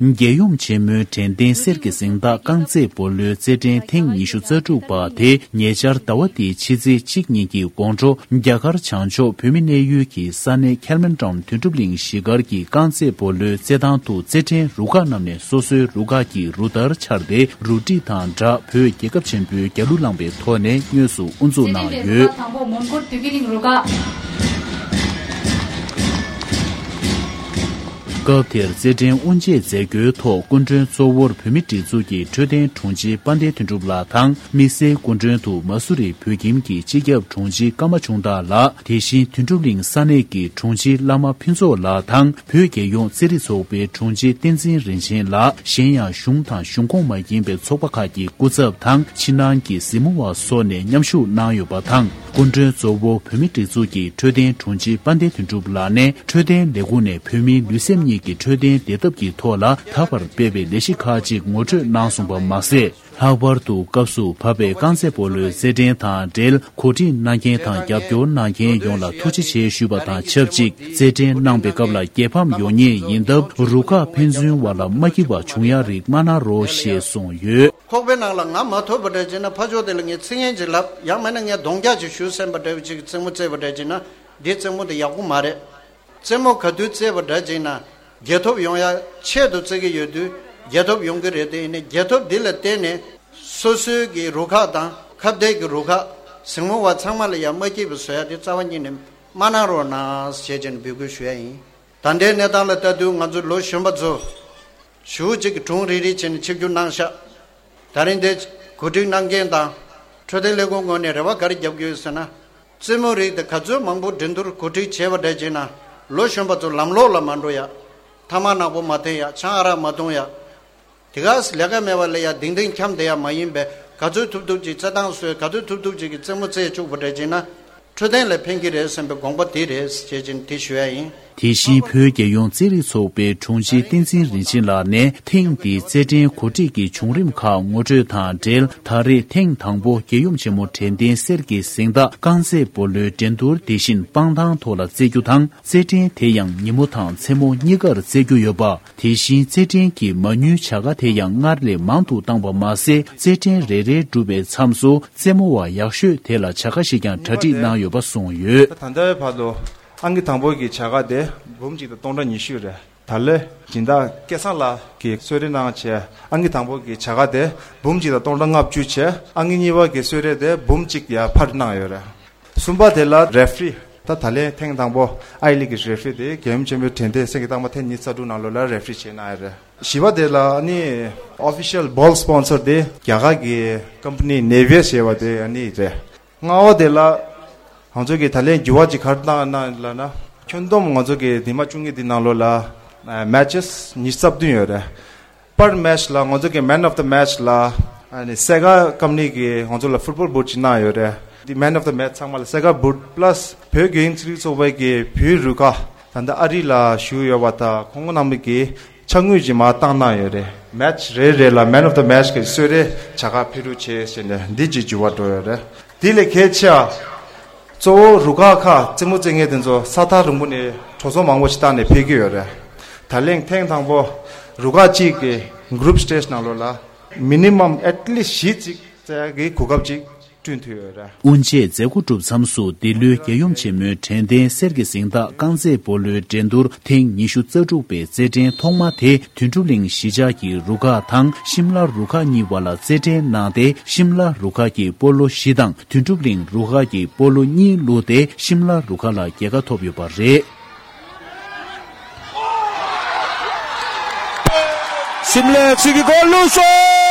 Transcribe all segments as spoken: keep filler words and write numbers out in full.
རྒྱལ་ཡུམ་ཆེན་མོའི་དྲན་རྟེན་གསེར་གྱི་གཟེངས་རྟགས་རྐང་རྩེད་སྤོ་ལོའི་རྩེད་འགྲན་ཐེངས་ཉི་ཤུ་རྩ་དྲུག་པ་དེ་ཉེ་ཆར་ཟླ་བ་འདིའི་ཕྱི་ཚེས་གཅིག་ཉིན་གྱི་དགོང་དྲོ་རྒྱ་གར་བྱང་ཕྱོགས་བོད་མི་གནས་ཡུལ་གྱི་ས་གནས་ཁེལ་མན་ཊོན་དོན་གྲུབ་གླིང་གཞིས་སྒར་གྱི་རྐང་རྩེད་སྤོ་ལོའི་རྩེད་ཐང་དུ་རྩེད་འགྲན་རུ་ཁག་རྣམས་ནས་སོ་སོའི་རུ་ཁག་གི་རུ་སྟར་འཕྱར་ཏེ་རུ་སྒྲིག་དང་སྦྲགས་བོད་རྒྱལ་ཁབ་ཆེན་པོའི་རྒྱལ་གླུ་བླངས་པའི་ཐོག་ནས་དངོས་སུ་དབུ་འཛུགས་གནང་ཡོད། རྩེད་འགྲན་རུ་ཁག་དང་པོ་མོན་གྷོ་བདེ་སྐྱིད་གླིང་རུ་ཁག་སྐབས་དེར་རྩེད་འགྲན་དབུ་འབྱེད་མཛད་སྒོའི་ཐོག་སྐུ་མགྲོན་གཙོ་བོར་བོད་མིའི་སྒྲིག་འཛུགས་ཀྱི་འཕྲོད་བསྟེན་དྲུང་ཆེ་དཔལ་ལྡན་དོན་གྲུབ་ལགས་དང་། དམིགས་བསལ་སྐུ་མགྲོན་དུ་མ་སུ་རི་བོད་ཁྱིམ་གྱི་སྤྱི་ཁྱབ་དྲུང་ཆེ་ཀརྨ་ཆུང་བདག་ལགས། དེ་བཞིན་དོན་གྲུབ་གླིང་ས་གནས་ཀྱི་དྲུང་ཆེ་བླ་མ་ཕུན་ཚོགས་ལགས་དང་། བོད་རྒྱལ་ཡོངས་རྩེད་རིགས་ཚོགས་པའི་དྲུང་ཆེ་བསྟན་འཛིན་རིན་ཆེན་ལགས། གཞན་ཡང་གཞུང་དང་གཞུང་ཁོངས་མ་ཡིན་པའི་ཚོགས་པ་ཁག་གི་སྐུ་ཚབ་དང་། ཕྱི་ནང་གི་གཟིགས་མོ་བ་སོགས་ནས་མཉམ་ཞུགས་གནང་ཡོད་པ་དང་། སྐུ་མགྲོན་གཙོ་བོ་བོད་མིའི་སྒྲིག་འཛུགས་ཀྱི་འཕྲོད་བསྟེན་དྲུང་ཆེ་དཔལ་ལྡན་དོན་གྲུབ་ལགས་ནས། འཕྲོད་བསྟེན་ལས་ཁུངས་ནས་བོད་མིའི་ལུས་སེམས་གཉིས་ཀྱི་འཕྲོད་བསྟེན་བདེ་ཐབས་ཀྱི་ཐོག་ལ་ད་བར་སྤེལ་བའི་ལས་གཞི་ཁག་ཅིག་ངོ་སྤྲོད་གནང་སོང་པ་མ་ཟད། ལྷག་པར་དུ་སྐབས་སུ་བབས་པའི་རྐང་རྩེད་སྤོ་ལོའི་རྩེད་འགྲན་དང་འབྲེལ་གོ་སྒྲིག་གནང་མཁན་དང་རྒྱབ་སྐྱོར་གནང་མཁན་ཡོངས་ལ་ཐུགས་རྗེ་ཆེ་ཞུས་པ་དང་ཆབས་ཅིག་རྩེད་འགྲན་གནང་པའི་སྐབས་ལ་རྒྱལ་ཕམ་ཡོང་ཉེན་ཡིན་སྟབས། རུ་ཁག་ཕན་ཚུན་བར་ལ་མ་སྐྱིད་པ་བྱུང་ཡ་རིགས་མ་གནང་རོགས་ཞེས་གསུངས་ཡོད། ཁོག་པའི་ནང་ལ་ང་མ་ཐུག་པ་འདྲ་བྱས་ན་ཕར་ཕྱོགས་དེ་ལ་ངས་ཚིག་ངན་ཅིག་ལབ། ཡང་མིན་ན་ངས་གདོང་རྒྱག་ཅིག་ཞུ་བསམ་པ་འདྲ་བོ་ཅིག་གི་རྩེད་མོ་རྩེས་པ་འདྲ་བྱས་ན་འདིའི་རྩེད་མོ་དེ་ཡག་པོ་མ་རེད། རྩེད་མོ་ག་དུས་རྩེས་པ་འདྲ་བྱས་ན་རྒྱལ་ཐོབ་ཡོང་ཡ་ཆེད་དུ་རྩེ་གི་ཡོད་དུས་རྒྱལ་ཐོབ་ཡོང་གི་རེད། དེ་ཡིན་ནའི་རྒྱལ་ཐོབ་འདི་ལ་བརྟེན་ནས་སོ་སོའི་གི་རུ་ཁག་དང་ཁ་གཏད་ཀྱི་རུ་ཁག་གཟིགས་མོ་བ་ཚང་མ་ལ་ཡང་མ་སྐྱིད་པ་བཟོ་ཡ་དེ་རྩ་བ་ཉིད་ནས་མ་གནང་རོགས་གནང་ཞེས་བྱས་ནས་འབོད་སྐུལ་ཞུ་ཡ་ཡིན། ད་ལྟའི་གནས་སྟངས་ལ་ལྟ་དུས་ང་ཚོ་ལོ་གཞོན་པ་ཚོ་ཞུ་གཅིག་གི་གྲུང་རིག་རིག་བྱས་ནས་ཆིབས་བསྒྱུར་གནང་ཤག་ད་རིང་འདི་གོ་སྒྲིག་གནང་མཁན་དང་འཕྲོད་བསྟེན་ལས་ཁུངས་ངོས་ནས་རེ་བ་ག་རེ་རྒྱབ་ཀྱི་ཡོད་ཟེར་ན། རྩེད་མོ་རིགས་དེ་ག་ཚོད་མང་པོ་འགྲན་བསྡུར་གོ་སྒྲིག་བྱས་པ་འདྲ་བྱས་ན་ལོ་གཞོན་པ་ཚོ་ལམ་ལོག་ལ་མ་འགྲོ་ཡ། ཐ་མག་ནག་པོ་མ་འཐེན་ཡ། ཆང་ཨ་རག་མ་འཐུང་ཡ། དེ་ག་ལས་ཀ་མེད་པ་ལ་ཡ་དིང་དིང་འཁྱམ་བསྡད་ཡ་མ་ཡིན་པས། ག་ཚོད་ཐུབ་ཐུབ་ཅིག་རྩེད་ཐང་བཟོས། ག་ཚོད་ཐུབ་ཐུབ་ཅིག་གི་རྩེད་མོ་རྩེ་བཅུག་པ་འདྲ་བྱས་ན་འཕྲོད་བསྟེན་ལ་ཕན་གྱི་རེད་བསམ་པའི་དགོངས་པ་དེ་རེད་ཅེས་བྱས་ནས་དེ་ཞུ་ཡ་ཡིན། དེ་བཞིན་བོད་རྒྱལ་ཡོངས་རྩེད་རིགས་ཚོགས་པའི་དྲུང་ཆེ་བསྟན་འཛིན་རིན་ཆེན་ལགས་ནས་ཐེངས་འདིའི་རྩེད་འགྲན་གོ་སྒྲིག་གི་བྱུང་རིམ་ཁག་ངོ་སྤྲོད་དང་འབྲེལ། ད་རེས་ཐེངས་དང་པོ་རྒྱལ་ཡུམ་ཆེན་མོ་དྲན་རྟེན་གསེར་གྱི་གཟེངས་རྟགས་རྐང་རྩེད་སྤོ་ལོའི་འགྲན་བསྡུར་དེ་བཞིན་སྤང་ཐང་ཐོག་ལ་རྩེ་རྒྱུ་དང་། རྩེད་འགྲན་དེ་ཡང་ཉིན་མོ་དང་མཚན་མོ་གཉིས་ཀར་རྩེ་རྒྱུ་ཡོད་པ། དེ་བཞིན་རྩེད་འགྲན་གྱི་མ་དངུལ་བྱ་དགའ་དེ་ཡང་སྔར་ལས་མང་དུ་བཏང་པ་མ་ཟད། རྩེད་འགྲན་རེ་རེ་གྲུབ་པའི་མཚམས་སུ་རྩེད་མོ་བ་ཡག་ཤོས་དེ་ལ་བྱ་དགའ་ཞིག་ཀྱང་གྲ་སྒྲིག་གནང་ཡོད་པ་གསུངས་ཡོད། ད་ལྟའི་བར་དུ་ཨང་ཀི་དང་པོ་གི་བྱ་དགའ་དེ་འབུམ་གཅིག་དང་སྟོང་ཕྲག་ཉི་ཤུ་རེད། ད་ལོའི་སྦྱིན་བདག་སྐལ་བཟང་ལགས་ཀྱིས་གསོལ་རས་གནང་བྱས། ཨང་ཀི་དང་པོ་གི་བྱ་དགའ་དེ་འབུམ་གཅིག་དང་སྟོང་ཕྲག་ལྔ་བཅུ་བྱས། ཨང་ཀི་གཉིས་པ་གི་གསོལ་རས་དེ་འབུམ་གཅིག་ཡར་འཕར་གནང་ཡོད་རེད། གསུམ་པ་དེ་ལ་རེ་ཧྥི་རི། ད་ད་ལན་ཐེངས་དང་པོ་ཨའི་ལི་གི་རེ་ཧྥི་རི་དེ་རྒྱལ་ཡུམ་ཆེན་མོའི་དྲན་རྟེན་གསེར་གྱི་རྟགས་མ་ཐེངས་ཉི་ཤུ་རྩ་དྲུག་ནང་ལོགས་ལ་རེ་ཧྥི་རི་བྱས་གནང་ཡོད་རེད། བཞི་པ་དེ་ལ་ཨ་ནི་ཨོ་ཕི་ཤལ་བོལ་སི་པོན་སར་དེ་རྒྱ་གར་གྱི་ཀམ་པ་ནི་ནེ་བི་ཡས་ཟེར་བ་དེ་ཨ་ནི་རེད། ལྔ་པ་དེ་ལ་ང་ཚོ་གི་ད་ལན་འགྱུར་བ་ཅིག་ག་རེ་བཏང་ཡོད་ན་ལབ་ན། ཁྱོན་བསྡོམས་ང་ཚོ་གི་འདི་མ་བཅུ་གཉིས་འདི་ནང་ལོགས་ལ་མེ་ཆེས་ཉི་ཤུ་རྩ་བདུན་ཡོད་རེད། པར་མེ་ཆེས་ལ་ང་ཚོ་གི་Man of the Match ལ་ཨ་ནི་སེ་ག་ཀམ་པ་ནི་གི་ང་ཚོ་ལ་ཕུཊ་བོལ་བུཊ་ཅིག་གནང་ཡོད་རེད། འདི་Man of the Match ཚང་མ་ལ་སེ་ག་བུཊ་པ་ལ་སི་བོད་རྒྱལ་ཡོངས་རྩེད་རིགས་ཚོགས་པའི་གི་བོད་རུ་ཁག་ད་ལྟ་ཨ་རི་ལ་བཞུགས་ཡོད་པ་དང་ཁོང་རྣམ་པ་གི་ཕྱག་དངུལ་ཅིག་མར་བཏང་གནང་ཡོད་རེད། མེ་ཆེས་རེ་རེ་ལ་Man of the Match གི་གསོལ་རས་བྱ་དགའ་ཕེབས་རོགས་བྱེད་ཟེར་ནས་འདི་ཅིག་འགྱུར་བ་འགྲོ་ཡོད་རེད། དེ་ལས་གལ་ཆེ་བ། གཙོ་བོ་རུ་ཁག་ཁག་རྩེད་མོ་རྩེད་མཁན་དེ་ཚོ་ས་ཐག་རིང་པོ་ནས་འགྲོ་སོང་མང་པོ་ཞིག་བཏང་ནས་ཕེབས་ཀྱི་ཡོད་རེད། ད་ལན་ཐེངས་དང་པོ་རུ་ཁག་གཅིག་གི་གུ་རུབ་སི་ཊེ་ཇི་ནང་ལོགས་ལ་མི་ནི་མམ་ཨེཊ་ལི་སི་ཊི་བཞི་ཅིག་རྩེ་ཡག་གི་གོ་སྐབས་ཅིག་བསྐྲུན་ཐུབ་ཡོད་རེད། དབུ་འབྱེད་མཛད་སྒོ་གྲུབ་མཚམས་སུ་འདི་ལོའི་རྒྱལ་ཡུམ་ཆེན་མོའི་དྲན་རྟེན་གསེར་གྱི་གཟེངས་རྟགས་རྐང་རྩེད་སྤོ་ལོའི་འགྲན་བསྡུར་ཐེངས་ཉི་ཤུ་རྩ་དྲུག་པའི་རྩེད་འགྲན་ཐོག་མ་དེ་དོན་གྲུབ་གླིང་གཞིས་ཆགས་ཀྱི་རུ་ཁག་དང་ཤིམ་ལ་རུ་ཁག་གཉིས་བར་ལ་རྩེད་འགྲན་གནང་སྟེ། ཤིམ་ལ་རུ་ཁག་གིས་སྤོ་ལོ་བཞི་དང་དོན་གྲུབ་གླིང་རུ་ཁག་གིས་སྤོ་ལོ་གཉིས་བླུགས་ཏེ་ཤིམ་ལ་རུ་ཁག་ལ་རྒྱལ་ཁ་ཐོབ་ཡོད་པ་རེད། ཤིམ་ལ་གཅིག་གི་གོལ་བླུགས་སོང་།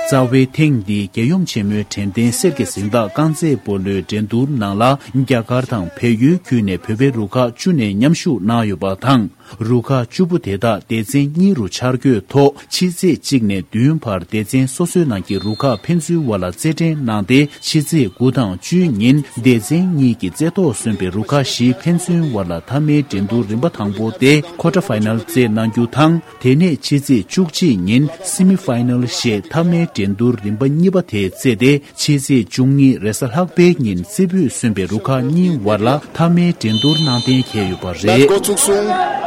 རྩ་བའི་ཐེངས་འདིའི་རྒྱལ་ཡུམ་ཆེན་མོའི་དྲན་རྟེན་གསེར་གྱི་གཟེངས་རྟགས་རྐང་རྩེད་སྤོ་ལོའི་འགྲན་བསྡུར་ནང་ལ་རྒྱ་གར་དང་བལ་ཡུལ་བརྒྱུད་ནས་བོད་པའི་རུ་ཁག་བཅུ་ནས་མཉམ་ཞུགས་གནང་ཡོད་པ་དང་། རུ་ཁག་བཅུ་པོ་དེ་དག་སྡེ་ཚན་གཉིས་རུ་འཆར་འགོད་ཐོག་ཕྱི་ཚེས་གཅིག་ནས་བདུན་བར་སྡེ་ཚན་སོ་སོའི་ནང་གི་རུ་ཁག་ཕན་ཚུན་བར་ལ་རྩེད་འགྲན་གནང་སྟེ། ཕྱི་ཚེས་དགུ་དང་བཅུའི་ཉིན་སྡེ་ཚན་གཉིས་ཀྱི་རྩེ་ཐོག་སོན་པའི་རུ་ཁག་བཞི་ཕན་ཚུན་བར་ལ་མཐའ་མའི་འགྲན་བསྡུར་རིམ་པ་དང་པོ་སྟེ་ཁོ་ཊར་ཕའི་ནལ་རྩེད་གནང་རྒྱུ་དང་། དེ་ནས་ཕྱི་ཚེས་བཅུ་གཅིག་ཉིན་སི་མི་ཕའི་ནལ་ཞེས་མཐའ་མའི་འགྲན་བསྡུར་རིམ་པ་གཉིས་པ་དེ་རྩེས་ཏེ། ཕྱི་ཚེས་བཅུ་གཉིས་རེས་གཟའ་ལྷག་པའི་ཉིན་རྩེ་ཕུད་སོན་པའི་རུ་ཁག་གཉིས་བར་ལ་མཐའ་མའི་འགྲན་བསྡུར་གནང་གཏན་འཁེལ་ཡོད་པ་རེད། མེ་ཆི་འགོ་ཚུགས་སོང་།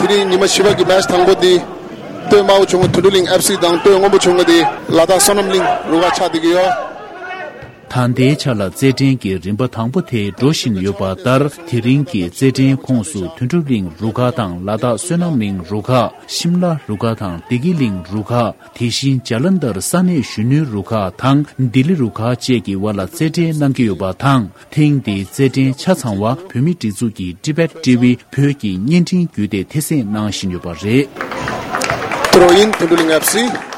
དེ་རིང་ཉི་མ་བཞི་པ་གི་མེ་ཆི་དང་པོ་འདི་ སྟོད་དམར་པོ་ཆུང་ངུ་དོན་གྲུབ་གླིང་ཨེཕ་སི་དང་། སྟོད་སྔོན་པོ་ཆུང་ངུ་དེ་ལ་དྭགས་བསོད་ནམས་གླིང་རུ་ཁག་ཆགས་བསྡད་ཀྱི་ཡོད། ད་ལྟའི་ཆ་ལ་རྩེད་འགྲན་གྱི་རིམ་པ་དང་པོ་དེ་འགྲོ་བཞིན་ཡོད་པ་ལྟར། དེ་རིང་གི་རྩེད་འགྲན་ཁོངས་སུ་དོན་གྲུབ་གླིང་རུ་ཁག་དང་། ལ་དྭགས་བསོད་ནམས་གླིང་རུ་ཁག་ཤིམ་ལ་རུ་ཁག་དང་། བདེ་སྐྱིད་གླིང་རུ་ཁག་དེ་བཞིན་ཇ་ལན་དར་ས་གནས་གཞོན་ནུའི་རུ་ཁག་དང་། ལྡི་ལི་རུ་ཁག་བཅས་ཀྱི་དབར་ལ་རྩེད་འགྲན་གནང་གི་ཡོད་པ་དང་། ཐེངས་འདིའི་རྩེད་འགྲན་ཆ་ཚང་བ་བོད་མིའི་སྒྲིག་འཛུགས་ཀྱི་Tibet TV བོད་ཀྱི་བརྙན་འཕྲིན་བརྒྱུད་དེ་ཐེ་གཟིགས་གནང་བཞིན་ཡོད་པ་རེད། ཕུར་བུ་ཡིན། དོན་གྲུབ་གླིང་ཨེཕ་སི།